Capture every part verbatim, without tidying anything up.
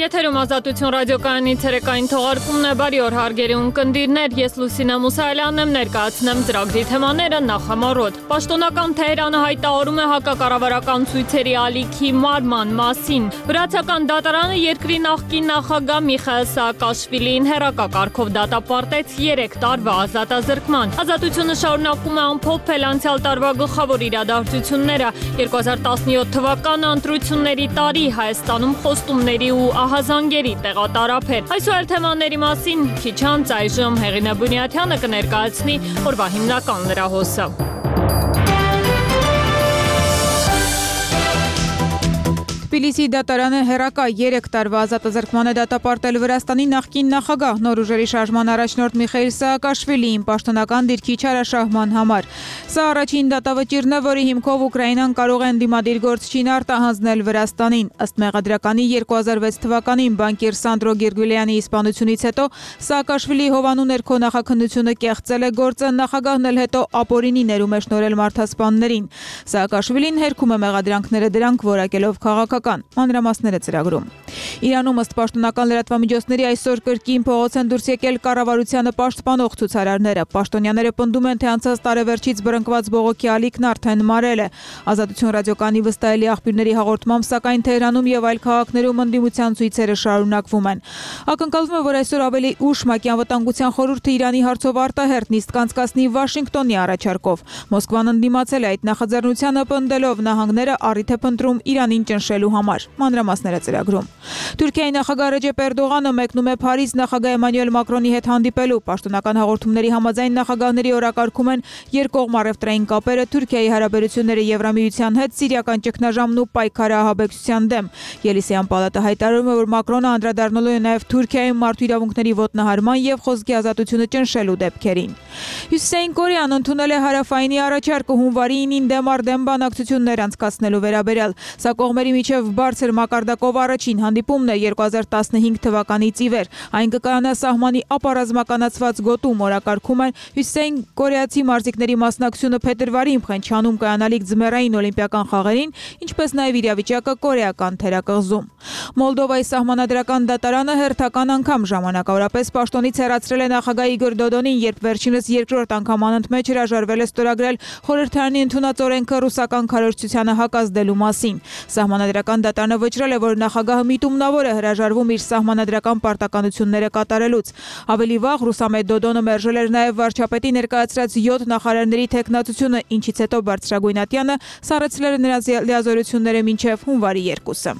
Եթերում Ազատություն ռադիոկայանի ցերեկային թողարկումն է, բարի օր հարգելի ունկնդիրներ, ես Լուսինե Մուսայելյանն եմ, ներկայացնեմ ծրագրի թեմաները նախամարոտ։ Պաշտոնական Թեհրանը հայտարարում է հակակառավարական ցույցերի ալիքի մարման մասին։ Վրացական դատարանը երկրի նախկին նախագահ Միխայիլ Սաակաշվիլիին հեռակակարգով դատապարտեց երեք տարվա ազատազրկման։ Ազատությունը շարունակում է ամփոփել անցյալ տարվա գլխավոր իրադարձությունները։ երկու հազար տասնյոթ թվականը ընտրությունների տարի, Հայաստանում խոստումների ու ահազանգերի տեղատարափեր։ Այսօր թեմաների մասին քիչ անց այժմ Հեղինե Բունյաթյանը կներկայացնի օրվա հիմնական լրահոսը։ Թբիլիսի դատարանը հեռակա երեք տարվա ազատազրկման է դատապարտել Վրաստանի նախկին նախագահ նոր ուժերի շարժման առաջնորդ Միխայիլ Սաակաշվիլիին պաշտոնական դիրքի չարաշահման համար։ Սա առաջին դատավճիռն է, որի հիմքով Ուկրաինան կարող է ընդդիմադիր գործչին արտահանձնել Վրաստանին։ Ըստ մեղադրականի երկու հազար վեց թվականին բանկիր Սանդրո Գիրգուլյանի իսպանությունից հետո Սաակաշվիլիի հովանու ներքո նախաքննությունը կեղծել է գործը, նախագահն էլ հետո ապօրինի ներում է շնորհել մարդասպաններին։ Սաակաշվիլին հերքում է մեղադրանքները, դրանք որակելով քաղաքական։ Մանրամասները ծրագրում։ Իրանում ըստ պաշտոնական լրատվամիջոցների այսօր կրկին փողոց են դուրս եկել կառավարությանը պաշտպանող ցուցարարները։ Պաշտոնյաները պնդում են, թե անցած տարեվերջից բռնկված բողոքի ալիքն արդեն մարել է։ Ազատություն ռադիոկայանի վստահելի աղբյուրների հաղորդմամբ, սակայն Թեհրանում եւ այլ քաղաքներում ընդդիմության ցույցերը շարունակվում են։ Ակնկալվում է, որ այսօր ավելի ուշ ՄԱԿ-ի անվտանգության խորհուրդը Իրանի հարցով արտահերթ նիստ կանցկացնի Վաշինգտոնի առաջարկով։ Մոսկվան ընդդիմացել է այդ նախաձեռնությանը, պնդելով նահանգները առիթ է փնտրում Իրանին ճնշելու համար։ Մանրամասները ծրագրում։ Թուրքիայի նախագահ Ռեջեփ Էրդողանը մեկնում է Փարիզ նախագահ Էմանուել Մակրոնի հետ հանդիպելու։ Պաշտոնական հաղորդումների համաձայն նախագահների օրակարգում են երկկողմ առևտրային կապերը, Թուրքիայի հարաբերությունները Եվրամիության հետ, սիրիական ճգնաժամն ու պայքարը ահաբեկչության դեմ։ Ելիսեյան պալատը հայտարարում է, որ Մակրոնը անդրադառնալու է նաև Թուրքիայում մարդու իրավունքների ոտնահարման եւ խոսքի ազատությունը ճնշելու դեպքերին։ Հյուսիսային Կորեան ընդունել է հարավայինի առաջարկը հունվարի ինին դեմ առ դեմ բանակցություններ անցկացնելու վերաբերյալ։ Սա կողմերի միջև բարձր մակարդակով առաջին հանդիպումն է երկու հազար տասնհինգ թվականից ի վեր։ Այն կկայանա սահմանի ապառազմականացված գոտում, օրակարգում են հյուսիսային կորեացի մարզիկների մասնակցությունը փետրվարին Փխենչանում կայանալիք ձմեռային օլիմպիական խաղերին, ինչպես նաև իրավիճակը կորեական թերակղզում։ Մոլդովայի սահմանադրական դատարանը հերթական անգամ ժամանակավորապես պաշտոնից հեռացրել է նախագահ Իգոր Դոդոնին, երբ վերջինս երկրորդ անգամ անընդմեջ հրաժարվել է ստորագրել խորհրդարանի ընդունած օրենքը ռուսական քարոզչությանը հակազդելու մասին։ Սահմանադրական դատարանը վճռել է, որ նախագահը միտումնավոր է հրաժարվում իր սահմանադրական պարտականությունները կատարելուց։ Ավելի վաղ Ռուսամետ Դոդոնը մերժել էր նաև վարչապետի ներկայացրած յոթ նախարարների թեկնածությունը, ինչից հետո բարձրագույն ատյանը սառեցրել է նրանց լիազորությունները մինչև հունվարի երկուսը։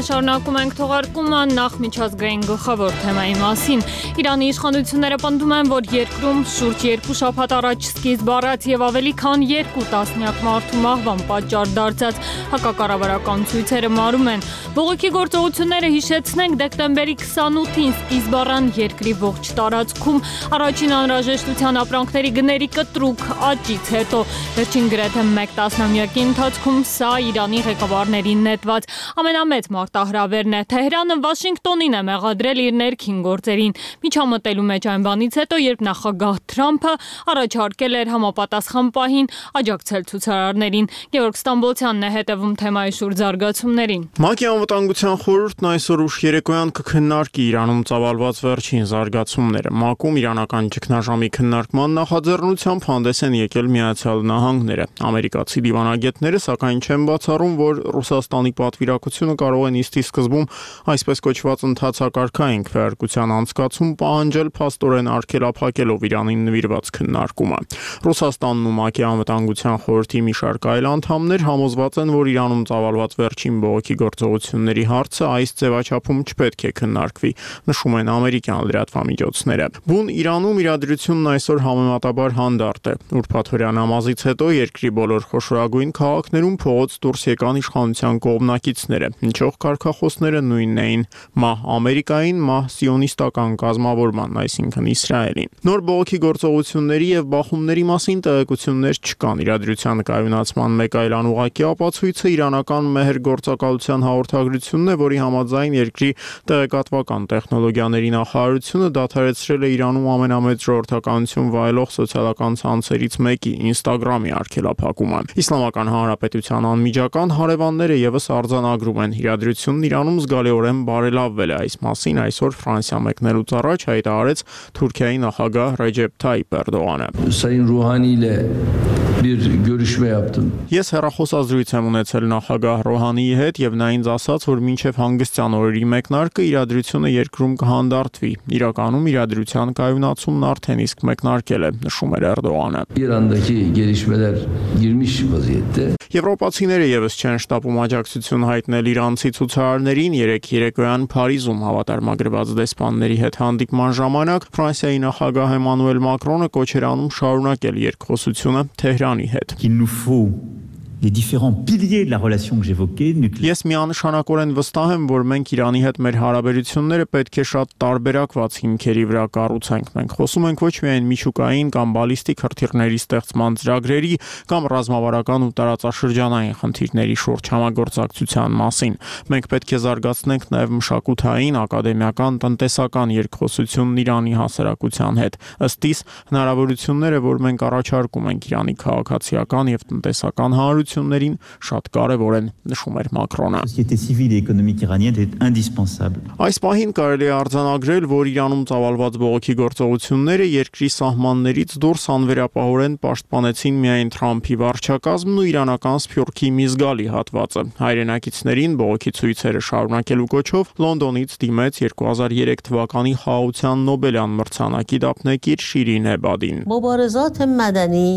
Շարունակում ենք թողարկումը նախ միջազգային գլխավոր թեմայի մասին։ Իրանի իշխանությունները պնդում են, որ երկրում շուրջ երկու շաբաթ առաջ սկիզբ առած եւ ավելի քան երկու տասնյակ մարդու մահվան պատճառ դարձած հակակառավարական ցույցերը մարում են։ Բողոքի գործողությունները, հիշեցնենք, դեկտեմբերի քսանութին սկիզբ առան երկրի ողջ տարածքում առաջին անհրաժեշտության ապրանքների գների կտրուկ աճից հետո։ Վերջին գրեթե մեկ տասնամյակի ընթացքում սա Իրանի ղեկավարներին նետված ամենամեծ մարտահրավերն է։ Թեհրանը Վաշինգտոնին է մեղադրել իր ներքին գործերին, միջամտելու մեջ այն բանից հետո, երբ նախագահ Թրամփը առաջարկել էր համապատասխան պահին աջակցել ցուցարարներին։ Գևորգ Ստամբոլցյանն է հետևում թեմայի շուրջ զարգացումներին։ ՄԱԿ-ի անվտանգության խորհուրդն այսօր ուշ երեկոյան կքննարկի Իրանում ծավալված վերջին զարգացումները։ ՄԱԿ-ում իրանական ճգնաժամի քննարկման նախաձեռնությամբ հանդես են եկել Միացյալ Նահանգները։ Ամերիկացի դիվանագետները սակայն չեն բացառում, որ Ռուսաստանի պատվիրակությունը կարող է նիստի սկզբում այսպես կոչված ընդհանցակարգային քվեարկության անցկացում պահանջել փաստորեն արգելափակելով Իրանին նվիրված քննարկումը։ Ռուսաստանն ու ՄԱԿ-ի անվտանգության խորհրդի մի շարք այլ անդամներ համոզված են, որ Իրանում ծավալված վերջին բողոքի գործողությունների հարցը այս ձևաչափում չպետք է քննարկվի, նշում են ամերիկյան լրատվամիջոցները։ Բուն Իրանում իրադրությունն այսօր համեմատաբար հանդարտ է։ Ուրբաթօրյա նամազից հետո երկրի բոլոր խոշորագույն քաղաքներում փողոց դուրս եկան իշխանության կողմնակիցները, ինչով կարգախոսները նույնն էին՝ մահ Ամերիկային, մահ սիոնիստական կազմավորման, այսինքն Իսրայելին։ Նոր բողոքի գործողությունների եւ բախումների մասին տեղեկություններ չկան։ Իրադրության կայունացման մեկ այլ անուղղակի ապացույցը իրանական մեհր գործակալության հաղորդագրությունն է, որի համաձայն երկրի տեղեկատվական տեխնոլոգիաների նախարարությունը դադարեցրել է Իրանում ամենամեծ ժողովրդականություն վայելող սոցիալական ցանցերից մեկի Instagram-ի արգելափակումը։ Իսլամական Հանրապետության անմիջական հարևանները եւս արձանագրում են իրադրությունն Իրանում զգալիորեն բարելավվել է։ Այս մասին այսօր Ֆրանսիա մեկնելուց առաջ հայտարարեց Թուրքիայի նախագահ Ռեջեփ Թայիփ Էրդողանը։ Sayın Ruhani ile bir görüşme yaptım. Ես հեռախոսազրույց եմ ունեցել նախագահ Ռոհանիի հետ եւ նա ինձ ասաց, որ մինչեւ հանգստյան օրերի մեկնարկը իրադրությունը երկրում կհանդարտվի։ Իրականում իրադրության կայունացումն արդեն իսկ մեկնարկել է, նշում էր Էրդողանը։ İran'daki gelişmeler girmiş vaziyette. Եվրոպացիները եւս չեն շտապում աջակցություն հայտնել իրանցի ցուցարարներին։ Երեք երեկոյան Փարիզում հավատարմագրված դեսպանների հետ հանդիպման ժամանակ Ֆրանսիայի նախագահ Էմանուել Մակրոնը կոչ էր անում շարունակել երկխոսությունը Թեհրանի հետ։ Qu'il nous faut les différents piliers de la relation que j'évoquais, nucléaire. Ես միանշանակորեն վստահ եմ, որ մենք Իրանի հետ մեր հարաբերությունները պետք է շատ տարբերակված հիմքերի վրա կառուցենք։ Մենք խոսում ենք ոչ միայն միջուկային կամ բալիստիկ հրթիռների ստեղծման ծրագրերի կամ ռազմավարական ու տարածաշրջանային խնդիրների շուրջ համագործակցության մասին։ Մենք պետք է զարգացնենք նաև մշակութային, ակադեմիական, տնտեսական երկխոսությունն Իրանի հասարակության հետ։ Ըստ իս, հնարավորությունները, որ մենք առաջարկում ենք Իրանի քաղաքացիական եւ տնտեսական հանրություններին, շատ կարևոր են, նշում էր Մակրոնը։ Société civile et économique iranienne est indispensable. Այս պահին կարելի է արձանագրել, որ Իրանում ծավալված բողոքի գործողությունները երկրի սահմաններից դուրս անվերապահորեն պաշտպանեցին միայն Թրամփի վարչակազմն ու իրանական սփյուռքի մի զգալի հատվածը։ Հայրենակիցներին բողոքի ցույցերը շարունակելու կոչով Լոնդոնից դիմեց երկու հազար երեք թվականի խաղաղության Նոբելյան մրցանակի դափնեկիր Շիրին Էբադին։ مبارزات مدنی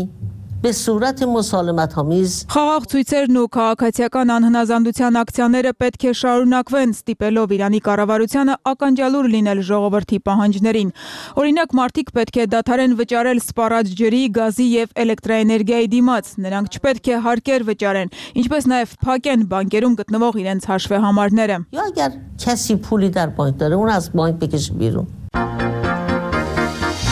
به صورت مسالمت‌آمیز Խաղաղ ցույցերն ու քաղաքացիական անհնազանդության ակցիաները պետք է շարունակվեն, ստիպելով Իրանի կառավարությանը ականջալուր լինել ժողովրդի պահանջներին։ Օրինակ, մարդիկ պետք է դադարեն վճարել սպառած ջրի, գազի եւ էլեկտրաէներգիայի դիմաց։ Նրանք չպետք է հարկեր վճարեն, ինչպես նաեւ փակեն բանկերում գտնվող իրենց հաշվեհամարները։ یا اگر کسی پولی در بانک داره اون از بانک بکشه بیرون.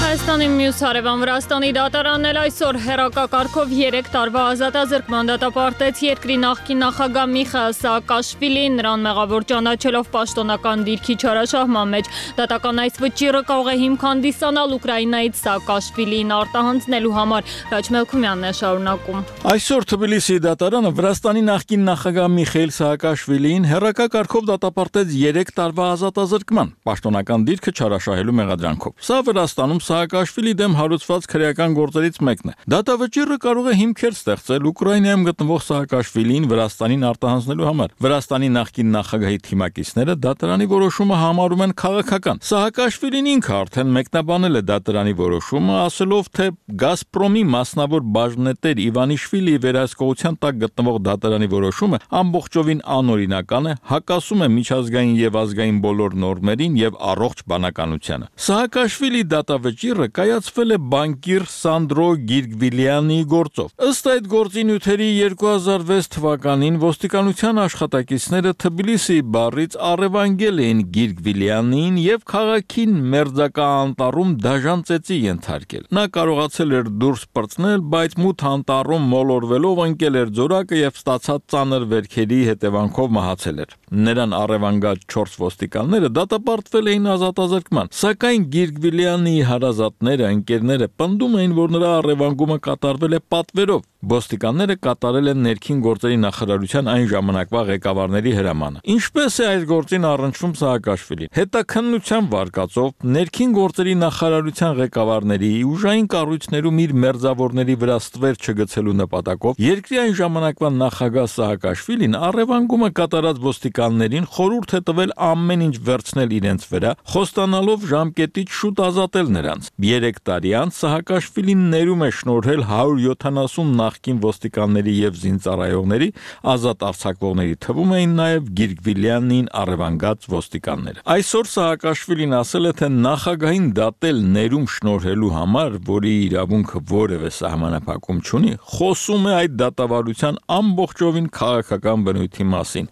Հայաստանի մյուս հարևան Վրաստանի դատարանն էլ այսօր հեռակակարգով երեք տարվա ազատազրկման դատապարտեց երկրի նախկին նախագահ Միխայիլ Սաակաշվիլին, նրան մեղավոր ճանաչելով պաշտոնական դիրքի չարաշահման մեջ։ Դատական այս վճիռը կարող է հիմք հանդիսանալ Ուկրաինայից Սաակաշվիլիին արտահանձնելու համար։ Ռաջ Մելքումյանն է շարունակում։ Այսօր Թբիլիսիի դատարանը Վրաստանի նախկին նախագահ Միխայիլ Սաակաշվիլիին հեռակակարգով դատապարտեց երեք տարվա ազատազրկման, պաշտոնական դիրքը չարաշահելու մեղադրանքով։ Սա Վրաստանում Սաակաշվիլի դեմ հարուցված քրեական գործերից մեկն է։ Դատավճիռը կարող է հիմքեր ստեղծել Ուկրաինայում գտնվող Սաակաշվիլիին Վրաստանին արտահանձնելու համար։ Վրաստանի նախկին նախագահի թիմակիցները դատարանի որոշումը համարում են քաղաքական։ Սաակաշվիլին ինքը արդեն մեկնաբանել է դատարանի որոշումը, ասելով, թե Գազպրոմի մասնավոր բաժնետեր Իվանիշվիլիի վերահսկողության տակ գտնվող դատարանի որոշումը ամբողջովին անօրինական է, հակասում է միջազգային եւ ազգային բոլոր նորմերին եւ առողջ բանականությանը։ Սաակաշվիլի դատավճիռը կայացվել է բանկիր Սանդրո Գիրգվիլյանի գործով։ Ըստ այդ գործի նյութերի երկու հազար վեց թվականին ոստիկանության աշխատակիցները Թբիլիսիի բառից առևանգել էին Գիրգվիլյանին եւ քաղաքին մերձակա անտառում դաժան ծեծի ենթարկել։ Նա կարողացել էր դուրս պրծնել, բայց մութ անտառում մոլորվելով ընկել էր ձորակը եւ ստացած ծանր վերքերի հետևանքով մահացել էր։ Նրան առևանգած չորս ոստիկանները դատապարտվել էին ազատազրկման, սակայն Գիրգվիլյանի հարազատները, ընկերները պնդում էին, որ նրա առևանգումը կատարվել է պատվերով։ Ոստիկանները կատարել են ներքին գործերի նախարարության այն ժամանակվա ղեկավարների հրամանը։ Ինչպես է այս գործին առնչվում Սաակաշվիլին։ Հետաքննության վարկածով ներքին գործերի նախարարության ղեկավարների ուժային կառույցներում իր մերձավորների վրա ստվեր չգցելու նպատակով երկրի այն ժամանակվա նախագահ Սաակաշվիլին առևանգումը կատարած ոստիկաններին խորհուրդ է տվել ամեն ինչ վերցնել իրենց վրա, խոստանալով ժամկետից շուտ ազատել նրանց։ Երեք տարի անց Սաակաշվիլին ներում է շնորհել հարյուր յոթանասուն նախկին ոստիկանների եւ զինծառայողների, ազատ արձակվողների թվում էին նաեւ Գիրգվիլյանին առևանգած ոստիկանները։ Այսօր Սաակաշվիլին ասել է, թե նախագահին դատել ներում շնորհելու համար, որի իրավունքը որևէ սահմանափակում չունի, խոսում է այդ դատավարության ամբողջովին քաղաքական բնույթի մասին։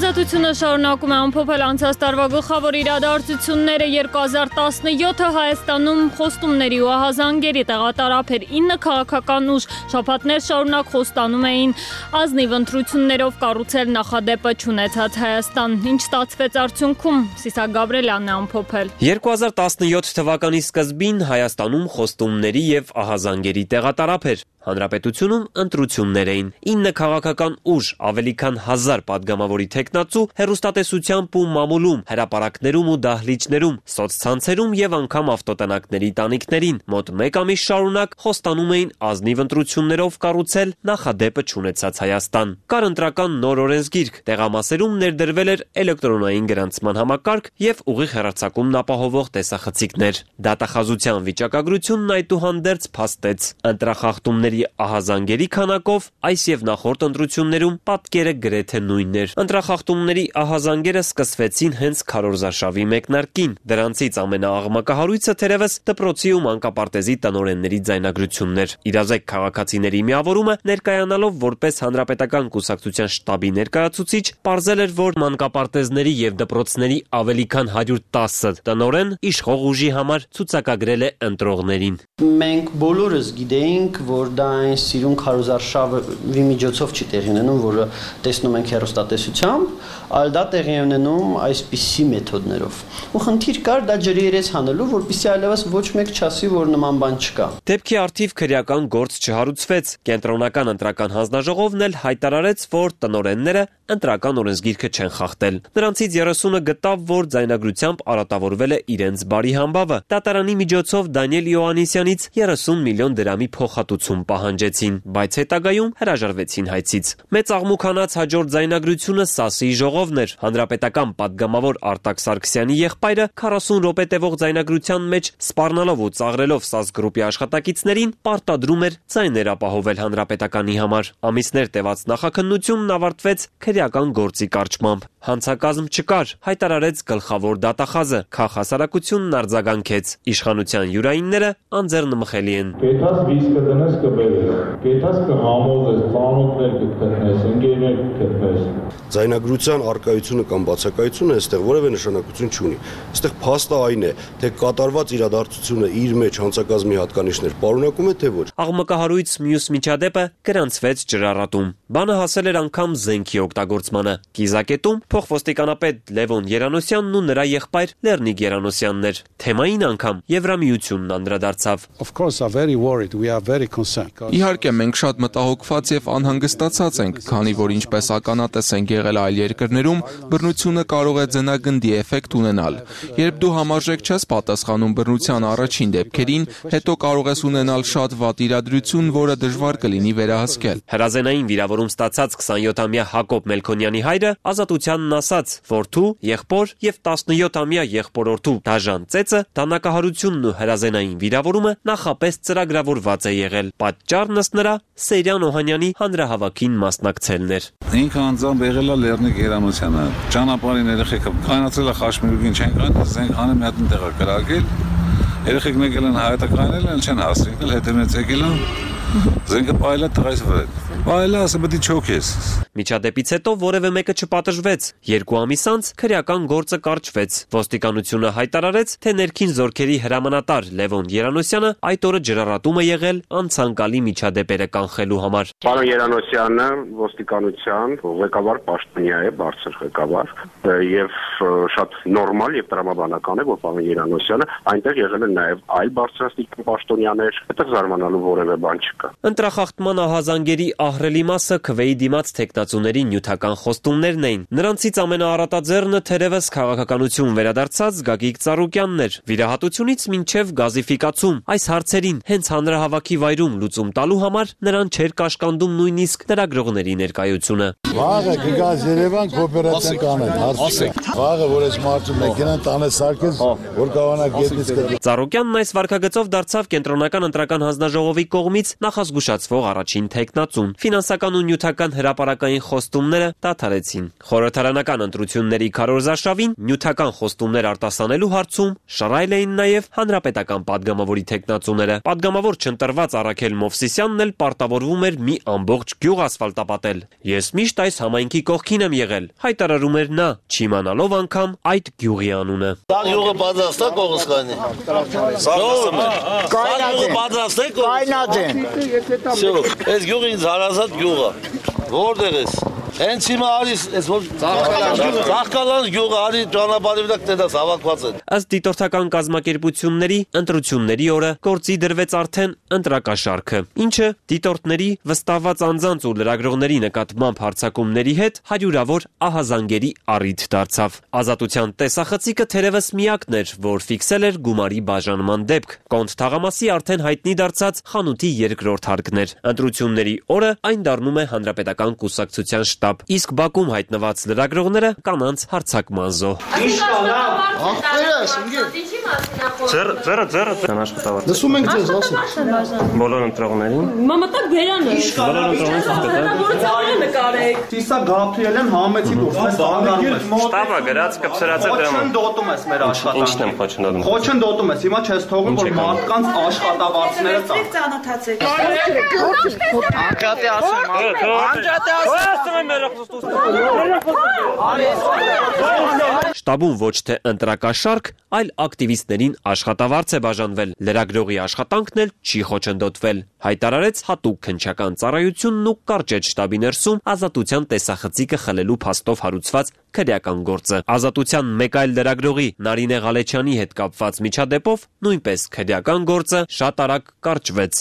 Ազատությունը շարունակում է ամփոփել անցած տարվա գլխավոր իրադարձությունները երկու հազար տասնյոթը Հայաստանում խոստումների ու ահազանգերի տեղատարափ էր ինը քաղաքական ուժ շաբաթներ շարունակ խոստանում էին ազնիվ ընտրություններով կառուցել նախադեպը չունեցած Հայաստան։ Ինչ ստացվեց արդյունքում, Սիսակ Գաբրելյանն է ամփոփել։ երկու հազար տասնյոթ թվականի սկզբին Հայաստանում խոստումների եւ ահազանգերի տեղատարափ էր։ Հանրապետությունում ընտրություններ էին։ ինը քաղաքական ուժ, ավելի քան հազար падգամավորի թեկնածու, հեռուստատեսությամբ ու մամուլում, հրապարակներում ու դահլիճներում, սոցցանցերում եւ անգամ ավտոտնակների տանիքներին մոտ մեկ ամիս շարունակ խոստանում էին ազնիվ ընտրություններով կառուցել նախադեպը չունեցած Հայաստան։ Կար ընտրական նոր օրենսգիրք, տեղամասերում ներդրվել էր էլեկտրոնային գրանցման համակարգ եւ ուղիղ հեռարձակումն ապահովող տեսախցիկներ։ Դատախազության վիճակագրությունն այդուհանդերձ փաստեց ընտրախախտումների ահազանգերի քանակով այս եւ նախորդ ընտրություններում պատկերը գրեթե նույնն էր։ Ընտրախախտումների ահազանգերը սկսվեցին հենց քարոզարշավի մեկնարկին։ Դրանցից ամենաաղմկահարույցը թերևս դպրոցի ու մանկապարտեզի տնօրենների ձայնագրությունն էր։ Իրազեկ քաղաքացիների միավորումը ներկայանալով որպես հանրապետական կուսակցության շտաբի ներկայացուցիչ, պարզել էր, որ մանկապարտեզների եւ դպրոցների ավելի քան հարյուր տասը տնօրեն իշխող ուժի համար ցուցակագրել է ընտրողներին։ Մենք բոլորս գիտեինք, որ դա այն սիրուն քարոզարշավի միջոցով չի տեղի ունենում, որը տեսնում ենք հեռուստատեսությամբ, այլ դա տեղի ունենում այսպիսի մեթոդներով։ Ու խնդիր կար դա ջրի երես հանելու, որպեսզի այլևս ոչ մեկ չասի, որ նման բան չկա։ Դեպքի արդիվ քրեական գործ չհարուցվեց։ Կենտրոնական ընտրական հանձնաժողովն էլ հայտարարեց, որ տնօրենները ընտրական օրենսգիրքը չեն խախտել։ Նրանցից երեսունը գտավ, որ ձայնագրությամբ արատավորվել է իրենց բարի համբավը։ Դատարանի միջոցով Դանիել Իոաննիսյանից երեսուն միլիոն դրամի փոխհատուցում պահանջեցին, բայց հետագայում հրաժարվեցին հայցից։ Մեծ աղմուկանաց հաջորդ ձայնագրությունը ՍԱՍ-ի ժողովն էր։ Հանրապետական падգամավոր Արտակ Սարգսյանի եղբայրը քառասուն րոպե տևող ձայնագրության մեջ սպառնալով ու ծաղրելով ՍԱՍ գրուպի աշխատակիցներին պարտադրում էր ձայներ ապահովել հանրապետականի համար։ Ամիսներ տևած նախաքննությունն ավարտվեց քրեական գործի կարճմամբ։ Հանցակազմ չկար, հայտարարեց գլխավոր դատախազը։ Քաղաքասարակությունն արձագանքեց։ Իշխանության յուրայինները անձեռնմխելի են։ Գետաս վիսկը դնես կբերես, գետաս կհամոզես, ծանոթներ կգտնես, ընկերներ կգտնես։ Ձայնագրության արկայությունը կամ բացակայությունը այստեղ որևէ նշանակություն չունի։ Այստեղ փաստը այն է, թե կատարված իրադարձությունը իր մեջ հանցակազմի հատկանիշներ պարունակում է, թե ոչ։ Աղմկահարույց մյուս միջադեպը գրանցվեց ջրառատում։ Բանը հասել էր անգամ զենքի օգտագործմանը։ Կիզակետում փոխոստիկանապետ Լևոն Երանոսյանն ու նրա եղբայր Լեռնիկ Երանոսյանն էր։ Թեմային անգամ Եվրամիությունն անդրադարձավ։ Իհարկե, մենք շատ մտահոգված եւ անհանգստացած ենք, քանի որ ինչպես ականատես ենք եղել այլ երկրներում, բռնությունը կարող է ձնագնդի էֆեկտ ունենալ։ Երբ դու համարժեք չես պատասխանում բռնության առաջին դեպքերին, հետո կարող ես ունենալ շատ վատ իրադրություն, որը դժվար կլինի վերահսկել։ Հրազենային վիրավորում ստացած քսանյոթամյա Հակոբ Մելքոնյանի հայրը ազատությանն ասաց, որդու, եղբոր եւ տասնյոթամյա եղբորորդու դաժան ծեծը, դանակահարությունն ու հրազենային վիրավորումը նախապես ծրագրավորված է եղել։ Պատճառն ըստ նրա Սեյրան Օհանյանի հանրահավաքին մասնակցելն էր։ Ինքը անձամբ եղել է Լեռնիկ Երանոսյանը, ճանապարհին երեխեքը կանացել է խաշմիրուկին չեն կան, զենք հանը մի հատ տեղ կրակել։ Երեխեքն եկել են հայտակրանել են, չեն հասցնել, հետևից եկել են, զենքը պայել է տղայից վրա։ Պայել է, ասա պետք է չոքես։ Միջադեպից հետո որևէ մեկը չպատժվեց։ Երկու ամիս անց քրեական գործը կարճվեց։ Ոստիկանությունը հայտարարեց, թե ներքին զորքերի հրամանատար Լևոն Երանոսյանը այդ օրը ջրառատում է եղել անցանկալի միջադեպերը կանխելու համար։ Պարոն Երանոսյանը ոստիկանության ղեկավար պաշտոնյա է, բարձր ղեկավար, եւ շատ նորմալ եւ տրամաբանական է, որ պարոն Երանոսյանը այնտեղ եղել են նաեւ այլ բարձրաստիճան պաշտոնյաներ, այդտեղ զարմանալու որևէ բան չկա։ Ընտրախախտման ահազանգերի ահռելի մասը քվեի դիմաց թեկնածուների նյութական խոստումներն էին։ Նրանցից ամենաառատաձեռնը թերևս քաղաքականություն վերադարձած Գագիկ Ծառուկյանն էր։ Վիրահատությունից մինչև գազիֆիկացում այս հարցերին հենց հանրահավաքի վայրում լուծում տալու համար նրան չէր կաշկանդում նույնիսկ լրագրողների ներկայությունը։ Վաղը գազ Երևան կոոպերացիան կանեն, հարցը։ Վաղը որ այս մարդու մեքենան տանը սարքես, որ կարողանա գետնից կդի։ Ծառուկյանն այս վարկագծով դարձավ կենտրոնական ընտրական հանձնաժողովի կողմից նախազգուշացվող առաջին թեկնածուն։ Ֆինանսական ու նյութական հրապարակային նախագահային խոստումները դադարեցին։ Խորհրդարանական ընտրությունների քարոզարշավին նյութական խոստումներ արտասանելու հարցում շռայլ էին նաև հանրապետական падգամավորի թեկնածուները։ Падգամավոր չընտրված Արաքել Մովսիսյանն էլ պարտավորվում էր մի ամբողջ գյուղ ասֆալտապատել։ Ես միշտ այս համայնքի կողքին եմ եղել, հայտարարում էր նա, չիմանալով անգամ այդ գյուղի անունը։ Սա գյուղը պատրաստ է կողոսկանի։ Սա պատրաստ է կայնադեն։ Всё, այս գյուղը ինձ հարազատ գյուղ է։ Որտեղ ես։ Հենց հիմա արիս, այս որ Ծաղկալան գյուղը արի ճանապարհի վրա կտես հավաքված են։ Ըստ դիտորդական կազմակերպությունների ընտրությունների օրը գործի դրվեց արդեն ընտրակաշառքը, ինչը դիտորդների վստահված անձանց ու լրագրողների նկատմամբ հարձակումների հետ հարյուրավոր ահազանգերի առիթ դարձավ։ Ազատության տեսախցիկը թերևս միակն էր, որ ֆիքսել էր գումարի բաժանման դեպք։ Կոնտ թաղամասի արդեն հայտնի դարձած խանութի երկրորդ հարկն էր։ Ընտրությունների օրը այն դառնում է հանրապետական կուսակցության շտաբ, իսկ Բաքում հայտնված լրագրողները կանանց հարձակման զոհ։ Ձերը, ձերը, ձերը, ձերը աշխատավար։ Լսում ենք ձեզ, ասեք։ Բոլոր ընտրողներին։ Մամատակ բերանը։ Բոլոր ընտրողներին նկարեք։ Սիսա Գաբրիելեն համեցի դուրս, այս շտաբը գրած կպսրած է դրամը։ Խոչընդոտում ես մեր աշխատանքը։ Ինչն եմ խոչընդոտում։ Խոչընդոտում ես, հիմա չես թողում, որ մարդկանց աշխատավարձները տա։ Ծանոթացեք։ Անջատի ասեմ, անջատի ասեմ։ Շտաբում ոչ թե ընտրակաշառք, այլ ակտիվիստներին աշխատավարձ է բաժանվել, լրագրողի աշխատանքն էլ չի խոչընդոտվել, հայտարարեց հատուկ քննչական ծառայությունն ու կարճեց շտաբի ներսում ազատության տեսախցիկը խլելու փաստով հարուցված քրեական գործը։ Ազատության մեկ այլ լրագրողի Նարինե Ղալեչյանի հետ կապված միջադեպով նույնպես քրեական գործը շատ արագ կարճվեց։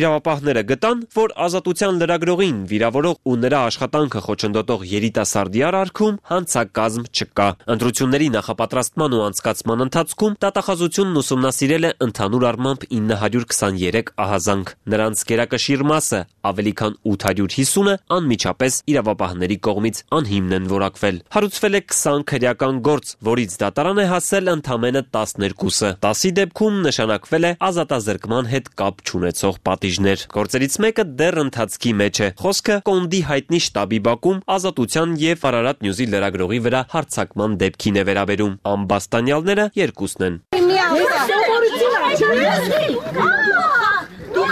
Իրավապահները գտան, որ ազատության լրագրողին վիրավորող ու նրա աշխատանքը խոչընդոտող երիտասարդի արարքում հանցակազմ չկա։ Ընտրությունների նախապատրաստման ու անցկացման ընթացքում դատախազությունն ուսումնասիրել է ընդհանուր առմամբ ինը հարյուր քսաներեք ահազանգ։ Նրանց գերակշիռ մասը ավելի քան ութ հարյուր հիսունը անմիջապես իրավապահների կողմից անհիմն են որակվել։ Հարուցվել է քսան քրեական գործ, որից դատարան է հասել ընդամենը տասներկուսը։ տասի դեպքում նշանակվել է ազատազրկման հետ կապ չունեցող պատիժներ։ Գործերից մեկը դեռ ընթացքի մեջ է։ Խոսքը Կոնդի հայտնի շտաբի Բաքում ազատության եւ Արարատ Նյուզի լրագրողի վրա հարձակման դեպքին է վերաբերում։ Ամբաստանյալները երկուսն են։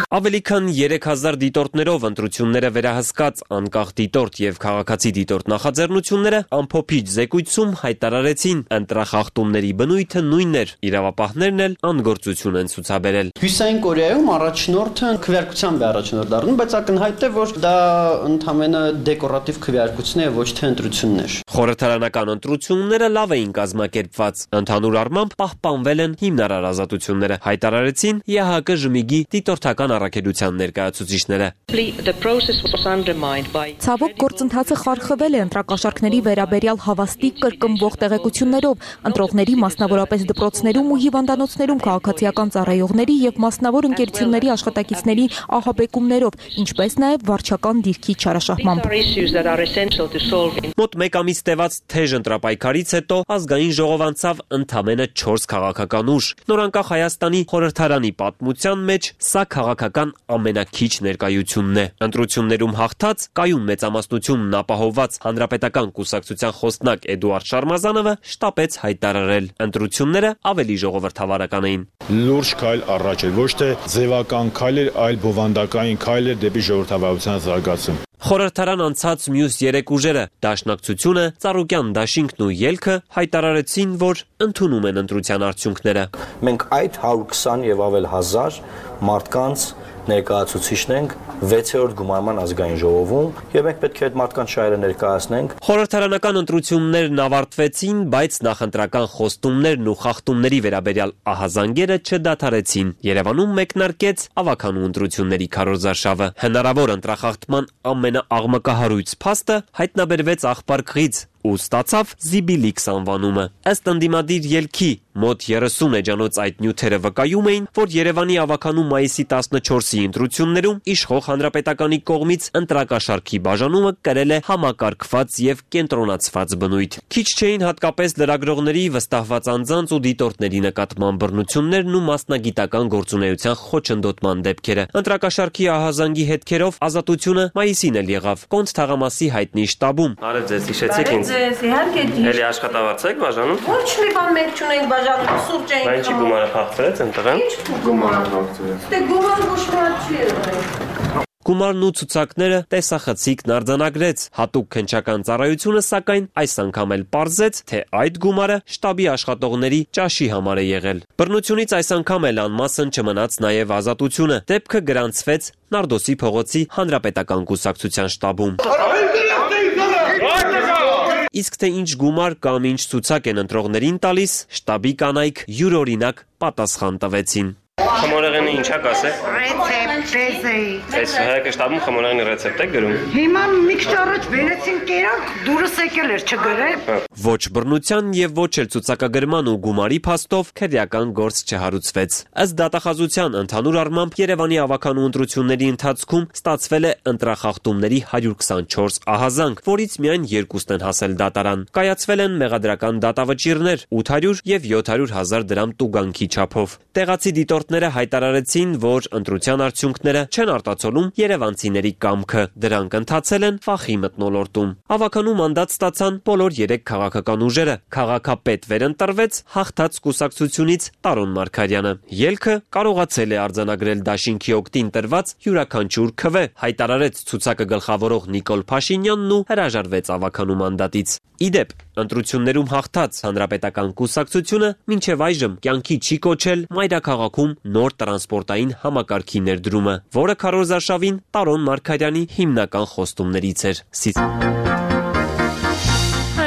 Ավելի քան երեք հազար դիտորդներով ընտրությունները վերահսկած անկախ դիտորդ եւ քաղաքացի դիտորդ նախաձեռնությունները ամփոփիչ զեկույցում հայտարարեցին ընտրախախտումների բնույթը նույնն էր, իրավապահներն էլ անգործություն են ցուցաբերել։ Հյուսային Կորեայում առաջնորդը քվեարկությամբ է առաջնորդ դառնում, բայց ակնհայտ է, որ դա ընդհանրապես դեկորատիվ քվեարկություն է, ոչ թե ընտրություններ։ Խորհրդարանական ընտրությունները լավ էին կազմակերպված, ընդհանուր առմամբ պահպանվել են հիմնարար ազատությունները, հայտարարեցին ԵՀԿ ժմիգի դիտորդական առաքելության ներկայացուցիչները։ Ցավոք գործընթացը խարխվել է ընտրակաշառքների վերաբերյալ հավաստիկ կրկնվող տեղեկություններով, ընտրողների մասնավորապես դպրոցներում ու հիվանդանոցներում քաղաքացիական ծառայողների եւ մասնավոր ընկերությունների աշխատակիցների ահաբեկումներով, ինչպես նաեւ վարչական դիրքի չարաշահմամբ։ Մոտ մեկ ամիս տևած թեժ ընտրապայքարից հետո ազգային ժողով անցավ ընդամենը չորս քաղաքական ուժ։ Նորանկախ Հայաստանի խորհրդարանի պատմության մեջ սա քաղաքական ամենակիչ ներկայությունն է։ Ընտրություններում հաղթած, կայուն մեծամասնությունն ապահովված հանրապետական կուսակցության խոսնակ Էդուարդ Շարմազանովը շտապեց հայտարարել. ընտրությունները ավելի ժողովրդավարական էին։ Լուրջ քայլ առաջ էր, ոչ թե ձևական քայլ էր, այլ բովանդակային քայլ էր դեպի ժողովրդավարության զարգացում։ Խորհրդարան անցած մյուս երեք ուժերը՝ Դաշնակցությունը, Ծառուկյան դաշինքն ու Ելքը հայտարարեցին, որ ընդունում են ընտրության արդյունքները։ Մենք այդ հարյուր քսան եւ ավել հազար մարդկանց ներկայացուցիչն ենք վեցերորդ գումարման ազգային ժողովում եւ մենք պետք է այդ մարդկանց շահերը ներկայացնենք։ Խորհրդարանական ընտրություններն ավարտվեցին, բայց նախընտրական խոստումներն ու խախտումների վերաբերյալ ահազանգերը չդադարեցին։ Երևանում մեկնարկեց ավականու ընտրությունների քարոզարշավը։ Հնարավոր ընտրախախտման ամենաաղմկահարույց փաստը հայտնաբերվեց Աղբար քղից, ու ստացավ Զիբիլիքս անվանումը։ Ըստ ընդդիմադիր ելքի մոտ երեսուն էջանոց այդ նյութերը վկայում էին, որ Երևանի ավագանու մայիսի տասնչորսի ընտրություններում իշխող հանրապետականի կողմից ընտրակաշառքի բաժանումը կրել է համակարգված եւ կենտրոնացված բնույթ։ Քիչ չէին հատկապես լրագրողների, վստահված անձանց ու դիտորդների նկատմամբ բռնություններն ու մասնագիտական գործունեության խոչընդոտման դեպքերը։ Ընտրակաշառքի ահազանգի հետքերով ազատությունը մայիսին էլ եղավ Կոնց թաղամասի հայտնի շտաբում։ Արև ձեզ, հիշեցիք ինձ։ Էլի աշխատավարձ եք բաժանում։ Ոչ մի բան մենք չունենք բաժանում, սուրճ ենք։ Բայց ինչի գումարը փախցրեց ընտրան։ Ինչ գումարը փախցրեց։ Դե գումարը ոչ մի հատ չի եղել։ Գումարն ու ցուցակները տեսախցիկն արձանագրեց։ Հատուկ քննչական ծառայությունը սակայն այս անգամ էլ պարզեց, թե այդ գումարը շտաբի աշխատողների ճաշի համար է եղել։ Բռնությունից այս անգամ էլ անմասն չմնաց նաև ազատությունը։ Դեպքը գրանցվեց Նարդոսի փողոցի հանրապետական կուսակցության շտաբում։ Իսկ թե ինչ գումար կամ ինչ ցուցակ են ընտրողներին տալիս, շտաբի կանայք յուրօրինակ պատասխան տվեցին։ Խմորեղենի ինչա կասեք։ Ռեցեպտ, ռեզեի։ Այս հայկը շտաբում խմորեղենի ռեցեպտ եք գրում։ Հիմա մի քիչ առաջ բերեցին կերանք, դուրս եկել էր չգրել։ Ոչ բռնության եւ ոչ էլ ցուցակագրման ու գումարի փաստով քրեական գործ չհարուցվեց։ Ըստ դատախազության ընդհանուր առմամբ Երևանի ավագանու ընտրությունների ընթացքում ստացվել է ընտրախախտումների հարյուր քսանչորս ահազանգ, որից միայն երկուսն են հասել դատարան։ Կայացվել են մեղադրական դատավճիռներ ութ հարյուր եւ յոթ հարյուր հազար դրամ տուգանքի չափով։ Տեղացի դիտորդները հայտարարեցին, որ ընտրության արդյունքները չեն արտացոլում երևանցիների կամքը։ Դրանք ընթացել են ֆախի մթնոլորտում։ Ավագանու մանդատ ստացան բոլոր երեք քաղաքական ուժերը։ Քաղաքապետ վերընտրվեց հաղթած կուսակցությունից Տարոն Մարգարյանը։ Ելքը կարողացել է արձանագրել դաշինքի օգտին տրված յուրաքանչյուր քվե, հայտարարեց ցուցակը գլխավորող Նիկոլ Փաշինյանն ու հրաժարվեց ավագանու մանդատից։ Իդեպ, ընտրություններում հաղթած հանրապետական կուսակցությունը մինչև այժմ կյանքի չի կոչել մայրաքաղաքում նոր տրանսպորտային համակարգի ներդրումը, որը քարոզարշավին Տարոն Մարգարյանի հիմնական խոստումներից էր։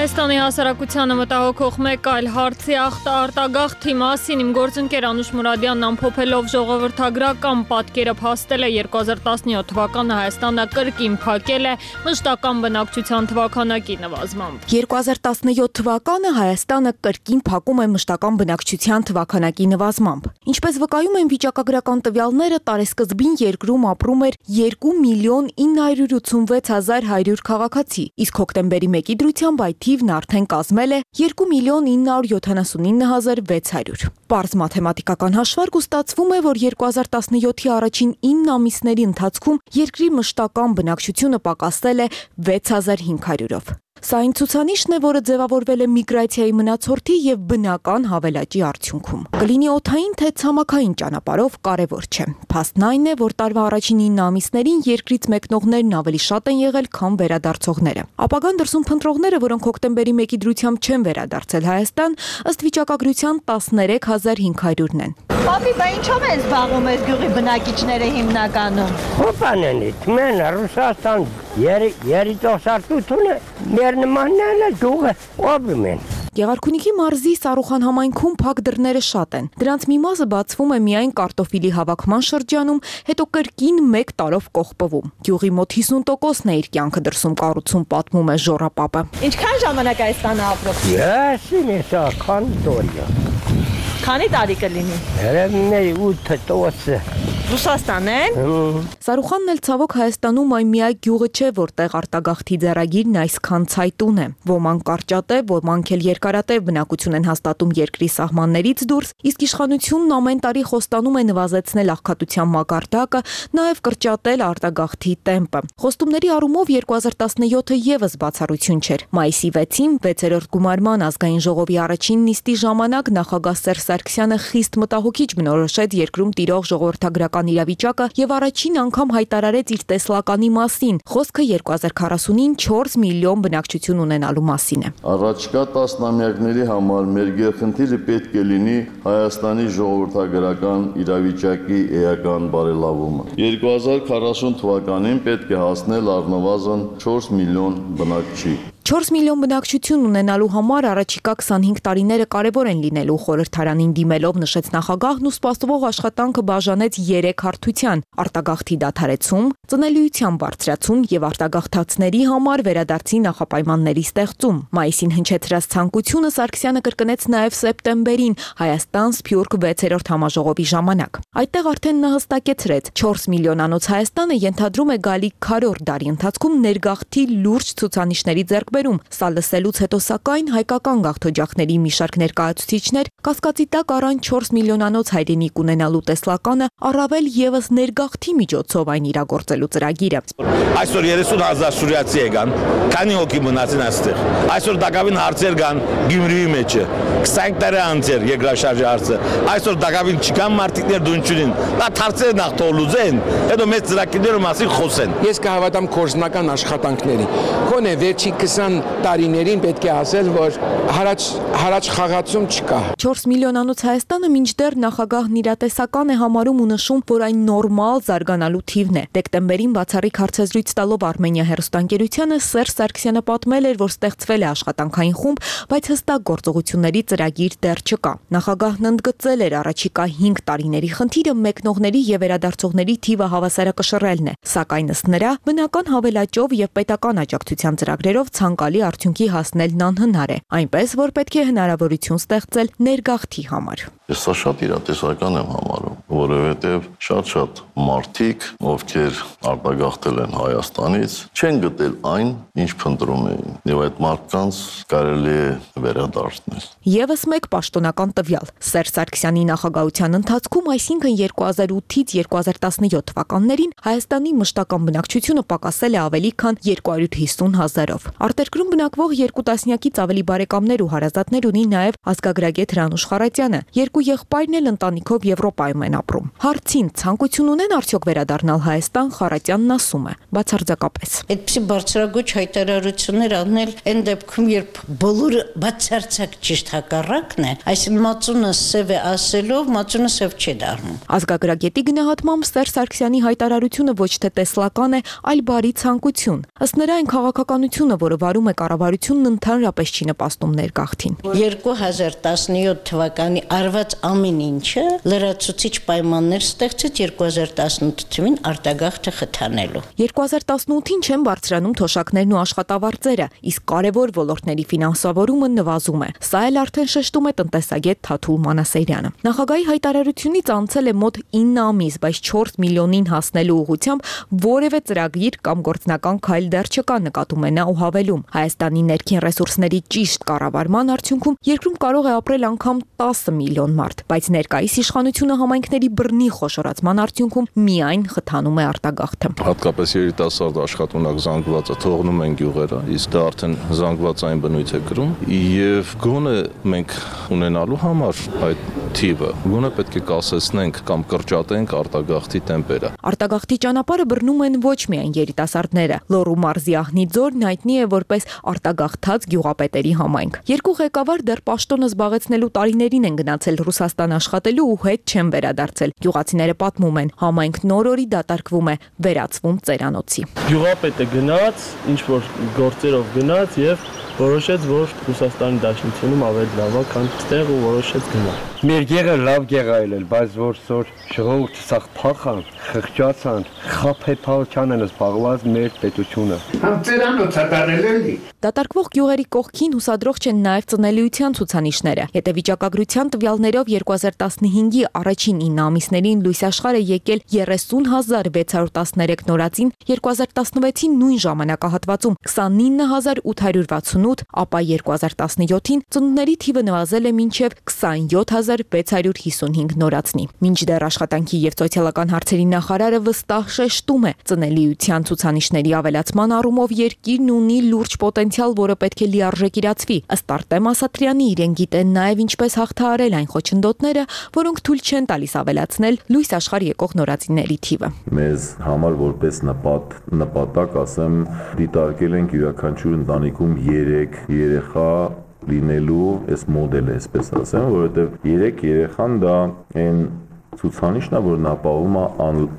Հայաստանի հասարակությանը մտահոգող մեկ այլ հարցի արտագաղթի մասին իմ գործընկեր Անուշ Մուրադյանն ամփոփելով ժողովրդագրական պատկերը փաստել է երկու հազար տասնյոթ թվականը Հայաստանը կրկին փակել է մշտական բնակչության թվականակի նվազմամբ։ երկու հազար տասնյոթ թվականը Հայաստանը կրկին փակում է մշտական բնակչության թվականակի նվազմամբ։ Ինչպես վկայում են վիճակագրական տվյալները, տարեսկզբին երկրում ապրում էր երկու միլիոն ինը հարյուր ութսունվեց հազար հարյուր քաղաքացի, իսկ հոկտեմբերի մեկի դրությամբ այդ թիվն արդեն կազմել է երկու միլիոն ինը հարյուր յոթանասունինը հազար վեց հարյուր։ Պարզ մաթեմատիկական հաշվարկ ու ստացվում է, որ երկու հազար տասնյոթի առաջին ինը ամիսների ընթացքում երկրի մշտական բնակչությունը պակասել է վեց հազար հինգ հարյուրով։ Սա այն ցուցանիշն է, որը ձևավորվել է միգրացիայի մնացորդի եւ բնական հավելաճի արդյունքում։ Կլինի օդային թե ցամաքային ճանապարհով կարևոր չէ։ Փաստն այն է, որ տարվա առաջին ինը ամիսներին երկրից մեկնողներն ավելի շատ են եղել, քան վերադարձողները։ Ապագան դրսում փնտրողները, որոնք հոկտեմբերի մեկի դրությամբ չեն վերադարձել Հայաստան, ըստ վիճակագրության տասներեք հազար հինգ հարյուրն են։ Պապի, բա ինչով են զբաղվում այս գյուղի բնակիչները հիմնականում։ Հոպանենից, մեն Ռուսաստան երիտասարդությունը մեր նմանն է գյուղը ապրում են։ Գեղարքունիքի մարզի Սարուխան համայնքում փակ դռները շատ են։ Դրանց մի մասը բացվում է միայն կարտոֆիլի հավաքման շրջանում, հետո կրկին մեկ տարով կողպվում։ Գյուղի մոտ հիսուն տոկոսն է իր կյանքը դրսում կառուցում, պատմում է Ժորապապը։ Ինչքան ժամանակ Հայաստան ապրում։ Ես ինեսա քան դորիա։ Քանի տարի կլինի։ Երևի ութ տոկոս։ Ռուսաստան են։ Սարուխանն էլ ցավոք Հայաստանում այն միակ գյուղը չէ, որտեղ արտագաղթի ձեռագիրն այսքան ցայտուն է։ Ոմանք կարճատև, ոմանք էլ երկարատև բնակություն են հաստատում երկրի սահմաններից դուրս, իսկ իշխանությունն ամեն տարի խոստանում է նվազեցնել աղքատության մակարդակը, նաև կրճատել արտագաղթի տեմպը։ Խոստումների առումով երկու հազար տասնյոթը եւս բացառություն չէր։ Մայիսի վեցին վեցերորդ գումարման ազգային ժողովի առաջին նիստի ժամանակ նախագահ Սերժ Սարգսյանը խիստ մտահոգիչ բնորոշեց երկրում տիրող ժողովրդագրական իրավիճակը եւ առաջին անգամ հայտարարեց իր տեսլականի մասին։ Խոսքը երկու հազար քառասունին չորս միլիոն բնակչություն ունենալու մասին է։ Առաջկա տասնամյակների համար մեր գերխնդիրը պետք է լինի Հայաստանի ժողովրդագրական իրավիճակի էական բարելավումը։ երկու հազար քառասուն թվականին պետք է հասնել առնվազն չորս միլիոն բնակչի։ չորս միլիոն բնակչություն ունենալու համար առաջիկա քսանհինգ տարիները կարևոր են լինելու, խորհրդարանին դիմելով նշեց նախագահն ու սպասվող աշխատանքը բաժանեց երեք հարթության՝ արտագաղթի դադարեցում, ծնելիության բարձրացում եւ արտագաղթածների համար վերադարձի նախապայմանների ստեղծում։ Մայիսին հնչեցրած ցանկությունը Սարգսյանը կրկնեց նաեւ սեպտեմբերին Հայաստան-Սփյուռք վեցերորդ համաժողովի ժամանակ։ Այդտեղ արդեն նա հստակեցրեց՝ չորս միլիոնանոց Հայաստանը ենթադրում է գալիք քառորդ դարի ընթացքում ներգաղթի լուրջ ցուցանիշների ձեռքբերում։ Սա լսելուց հետո սակայն հայկական գաղթօջախների մի շարք ներկայացուցիչներ կասկածի տակ առան չորս միլիոնանոց հայրենիք ունենալու տեսլականը, առավել եւս ներգաղթի միջոցով այն իրագործելու ծրագիրը։ Այսօր երեսուն հազար սուրիացի եկան, քանի հոգի մնացին այստեղ։ Այսօր դակավին հարցեր կան Գյումրիի մեջը, քսանհինգ տարի անց էր երկրաշարժի հարցը։ Այսօր դակավին չկան մարտիկներ դունչունին։ Դա հարցերը նախ թողլուծեն, հետո մեծ ծրագիրների մասին խոսեն։ Ես կհավատամ կորզնական աշխատանքների։ Գոնե վերջին քսան տարիներին պետք է ասել, որ հարաճ հարաճ խաղացում չկա։ չորս միլիոնանոց Հայաստանը մինչդեռ նախագահն իրատեսական է համարում ու նշում, որ այն նորմալ զարգանալու թիվն է։ Դեկտեմբերին բացառիկ հարցազրույց տալով Արմենիա հեռուստաընկերությանը Սերժ Սարգսյանը պատմել էր, որ ստեղծվել է աշխատանքային խումբ, բայց հստակ գործողությունների ծրագիր դեռ չկա։ Նախագահն ընդգծել էր առաջիկա հինգ տարիների խնդիրը մեկնողների եւ վերադարձողների թիվը հավասարակշռելն է, սակայն ըստ նրա բնական հավելաճով եւ պետական աջակցության ծրագրերով ցանկալի արդյունքի հասնելն անհնար է, այնպես որ պետք է հնարավորություն ստեղծել ներգաղթի համար։ Ես սա շատ իրատեսական եմ համարում, որովհետև շատ-շատ մարդիկ, ովքեր արտագաղթել են Հայաստանից, չեն գտել այն, ինչ փնտրում էին, եւ այդ մարդկանց կարելի է վերադարձնել։ Եվս մեկ պաշտոնական տվյալ. Սերժ Սարգսյանի նախագահության ընթացքում, այսինքն երկու հազար ութից երկու հազար տասնյոթ թվականներին, Հայաստանի մշտական բնակչությունը պակասել է ավելի քան երկու հարյուր հիսուն հազարով։ Արտերկրում բնակվող երկու տասնյակից ավելի բարեկամներ ու հարազատներ ունի նաև ազգագրագետ Հրանուշ Խառատյանը։ Երկու եղբայրն էլ ընտանիքով Եվրոպայում են ապրում։ Հարցին ցանկություն ունեն արդյոք վերադառնալ Հայաստան, Խառատյանն ասում է. բացարձակապես։ Այդպիսի բարձրագույն հայտարարություններ անել այն դեպքում, երբ բոլորը բացարձակ ճիշտ հակառակն է, այսինքն մածունը սև է ասելով, մածունը սև չի դառնում։ Ազգագրագետի գնահատմամբ Սերժ Սարգսյանի հայտարարությունը ոչ թե տեսլական է, այլ բարի ցանկություն։ Ըստ նրա, այն քաղաքականությունը, որը վարում է կառավարությունն, ընդհանրապես չի նպաստում ներգաղթին։ երկու հազար տասնյոթ թվականի արված ամեն ինչը լրացուցիչ պայմաններ ստեղծեց երկու հազար տասնութ թվին արտագաղթը խթանելու։ երկու հազար տասնութին չեն բարձրանում թոշակներն ու աշխատավարձերը, իսկ կարևոր ոլորտների ֆինանսավորումը նվազում է։ Սա էլ արդեն շեշտում է տնտեսագետ Թաթուլ Մանասերյանը։ Նախագահի հայտարարությունից անցել է մոտ ինը ամիս, բայց չորս միլիոնին հասնելու ուղղությամբ որևէ ծրագիր կամ գործնական քայլ դեռ չկա, նկատում է նա ու հավելում։ Հայաստանի ներքին ռեսուրսների ճիշտ կառավարման արդյունքում երկրում կարող է ապրել անգամ տասը միլիոն մարդ, բայց ներկայիս իշխանությունը համայնքների բռնի խոշորացման արդյունքում միայն խթանում է արտագաղթը։ Հատկապես երիտասարդ աշխատունակ զանգվածը թողնում են գյուղերը, իսկ դա արդեն զանգվածային բնույթ է կրում, եւ գոնե մենք ունենալու համար այդ թիվը գոնե պետք է կասեցնենք կամ կրճատենք արտագաղթի տեմպերը։ Արտագաղթի ճանապարհը բռնում են ոչ միայն երիտասարդները։ Լոռու մարզի Ահնիձորն հայտնի է որպես արտագաղթած գյուղապետերի համայնք։ Երկու ղեկավար դեռ պաշտոնը զբաղեցնելու տարիներին են գնացել Ռուսաստան աշխատելու ու հետ չեն վերադարձել։ Գյուղացիները պատմում են, համայնքն օր-օրի դատարկվում է, վերածվում ծերանոցի։ Գյուղապետը գնաց, ինչ որ գործերով գնաց եւ որոշեց, որ Ռուսաստանի Դաշնությունում ավելի լավ է, քան այդտեղ ու որոշեց գնալ։ Մեր գեղը լավ գեղ այլել, բայց որ սոր ժողովուրդը սաղ փախան, խղճացան, խափեփայության են զբաղված մեր պետությունը։ Համ ծերանոցը դարել էլի։ Դատարկվող գյուղերի կողքին հուսադրող չեն նաև ծնելիության ցուցանիշները։ Հետևիճակագրության տվյալներով երկու հազար տասնհինգի առաջին ինը ամիսներին լույս աշխարհ է եկել երեսուն հազար վեց հարյուր տասներեք նորածին, երկու հազար տասնվեցի նույն ժամանակահատվածում քսանինը հազար ութ հարյուր վաթսունութ, ապա երկու հազար տասնյոթին ծնունդների թիվը նվազել է մինչև քսանյոթ հազար վեց հարյուր հիսունհինգ նորածնի։ Մինչդեռ աշխատանքի եւ սոցիալական հարցերի նախարարը վստահ շեշտում է, ծնելիության ցուցանիշների ավելացման առումով երկիրն ունի լուրջ պոտենցիալ, որը պետք է լիարժեք իրացվի։ Ըստ Արտեմ Ասատրյանի, իրեն գիտեն նաեւ ինչպես հաղթահարել այն խոչընդոտները, որոնք թույլ չեն տալիս ավելացնել լույս աշխարհ եկող նորածինների թիվը։ Մեզ համար որպես նպատ նպատակ, ասեմ, դիտարկել ենք յուրաքանչյուր ընտանիքում երեք երեխա լինելու այս մոդելը, այսպես ասեմ, որովհետև երեք երեխան դա այն ցուցանիշն է, որն ապահովում է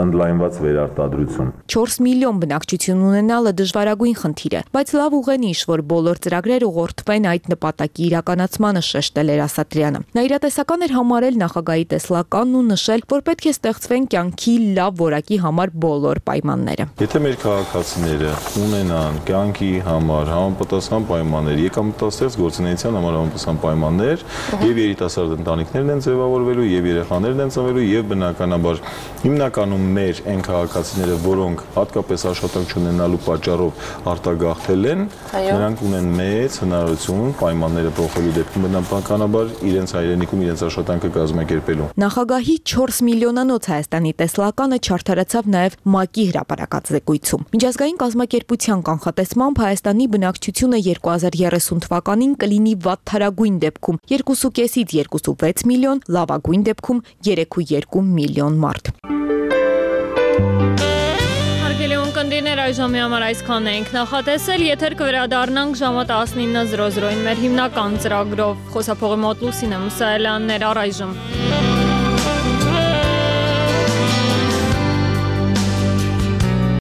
ընդլայնված վերարտադրություն։ չորս միլիոն բնակչություն ունենալը դժվարագույն խնդիր է, բայց լավ ուղենիշ, որ բոլոր ծրագրեր ուղղորդվեն այդ նպատակի իրականացմանը, շեշտել էր Ասատրյանը։ Նա իրատեսական էր համարել նախագահի տեսլականն ու նշել, որ պետք է ստեղծվեն կյանքի լավ որակի համար բոլոր պայմանները։ Եթե մեր քաղաքացիները ունենան կյանքի համար համապատասխան պայմաններ, եկամտաստեղծ գործունեության համար համապատասխան պայմաններ, եւ երիտասարդ ընտանիքներն են ձևավորվելու, եւ երեխաներն են ծնվելու, եւ բնականաբար հիմնականում մեր այն քաղաքացիները, որոնք հատկապես աշխատանք չունենալու պատճառով արտագաղթել են, նրանք ունեն մեծ հնարավորություն պայմանները փոխելու դեպքում բնականաբար իրենց հայրենիքում իրենց աշխատանքը կազմակերպելու։ Նախագահի չորս միլիոնանոց Հայաստանի տեսլականը չարդարացավ նաև ՄԱԿ-ի հրապարակած զեկույցում։ Միջազգային կազմակերպության կանխատեսմամբ Հայաստանի բնակչությունը երկու հազար երեսուն թվականին կլինի վատթարագույն դեպքում երկուսուկեսից երկուսուվեց միլիոն, լավագույն դեպքում երեքուերկու միլիոն մարդ։ Կնդիներ այժմի համար այսքան ենք նախատեսել, եթեր կվերադառնանք ժամը տասնինը զրո զրոին մեր հիմնական ծրագրով։ Խոսափողի մոտ Լուսինե Մուսայելյանն էր առայժմ։